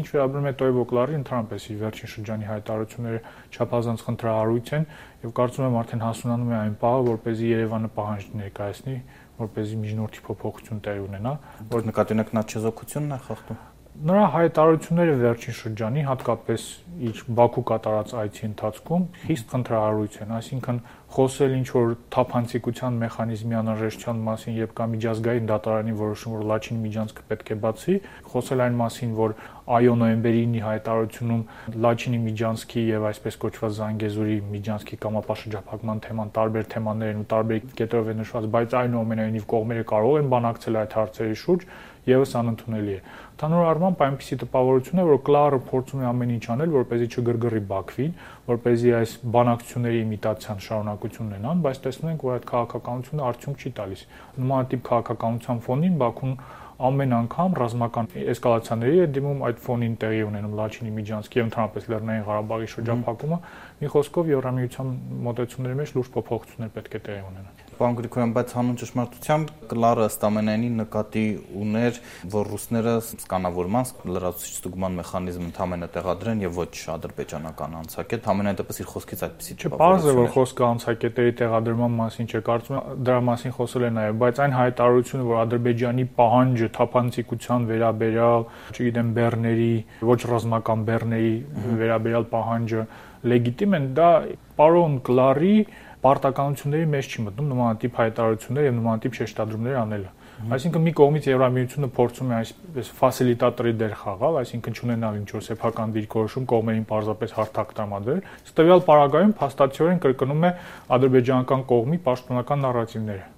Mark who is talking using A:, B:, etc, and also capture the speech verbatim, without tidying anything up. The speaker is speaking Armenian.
A: Իսկ ինչ վերաբերում է Տոյվոկլարի, ընդհանրապես իր վերջին շրջանի հայտարարությունները չափազանց խնդրահարույց են եւ կարծում եմ արդեն հասունանում է այն պահը, որպեսզի Երևանը պահանջ ներկայացնի, որպեսզի միջնորդի փոփոխություն տեղի ունենա,
B: որ նկատի ունեք նա չեզոքությունն է խախտում։
A: Նրա հայտարարությունները վերջին շրջանի, հատկապես իր Բաքու կատարած այցի ընթացքում խիստ խնդրահարույց են, այսինքն խոսել ինչ որ թափանցիկության մեխանիզմի անհրաժեշտության մասին, երբ կա միջազգային դատարանի որոշում, որ Լաչինի միջանցքը պետք է բացի, խոսել այն մասին, որ այո նոյեմբերի ինի հայտարարությունում Լաչինի միջանցքի եւ այսպես կոչված Զանգեզուրի միջանցքի կամապաշրջափակման թեման տարբեր թեմաներ են ու տարբեր կետերով է նշված, բայց այնուամենայնիվ կողմերը կարող են բանակցել այդ հարցերի շուրջ, եւս անընդունելի է։ Ընդհանուր առմամբ այնպիսի տպավորություն է, որ Կլարը փորձում է ամեն ինչ անել, որպեսզի չգրգռի Բաքվին, որպեսզի այս բանակցությունների իմիտացիան շարունակություն ունենան, բայց տեսնում ենք, որ այդ քաղաքականությունը արդյունք չի տալիս։ Նմանատիպ քաղաքականության ֆոնին Բաքուն ամեն անգամ ռազմական էսկալացիաների է դիմում, այդ ֆոնին տեղի ունենում Լաչինի միջանցքի եւ ընդհանրապես Լեռնային Ղարաբաղի շրջափակումը, մի խոսքով Եվրամիության մոտեցումների մեջ լուրջ փոփոխություններ պետք է տեղի ունենան։
B: Պարոն Գրիգորյան, բայց հանուն ճշմարտության Կլարը ըստ ամենայնի նկատի ուներ, որ ռուսները սկանավորման լրացուցիչ ստուգման մեխանիզմ ընդամենը տեղադրեն եւ ոչ ադրբեջանական անցակետ, ամենայն դեպս իր խոսքից այդպեսի
A: տպավորություն։ Պարզ է, որ խոսքը անցակետերի տեղադրման մասին չէ, կարծում եմ դրա մասին խոսել է նաեւ, բայց այն հայտարարությունը, որ Ադրբեջանի պահանջը թափանցիկության վերաբերյալ, չգիտեմ, բեռների, ոչ ռազմական բեռների վերաբերյալ պահանջը լեգիտիմ են, դա պարոն Կլարի պարտականությունների մեջ չի մտնում նմանատիպ հայտարարություններ եւ նմանատիպ շեշտադրումներ անելը։ Այսինքն մի կողմից Եվրամիությունը փորձում է այսպես ֆասիլիտատորի դեր խաղալ, այսինքն չունենալ ինչ-որ սեփական դիրքորոշում կողմերին պարզապես հարթակ տրամադրել, ստվյալ պարագայում փաստացիորեն կրկնում է ադրբեջանական կողմի պաշտպանական նարատիվները։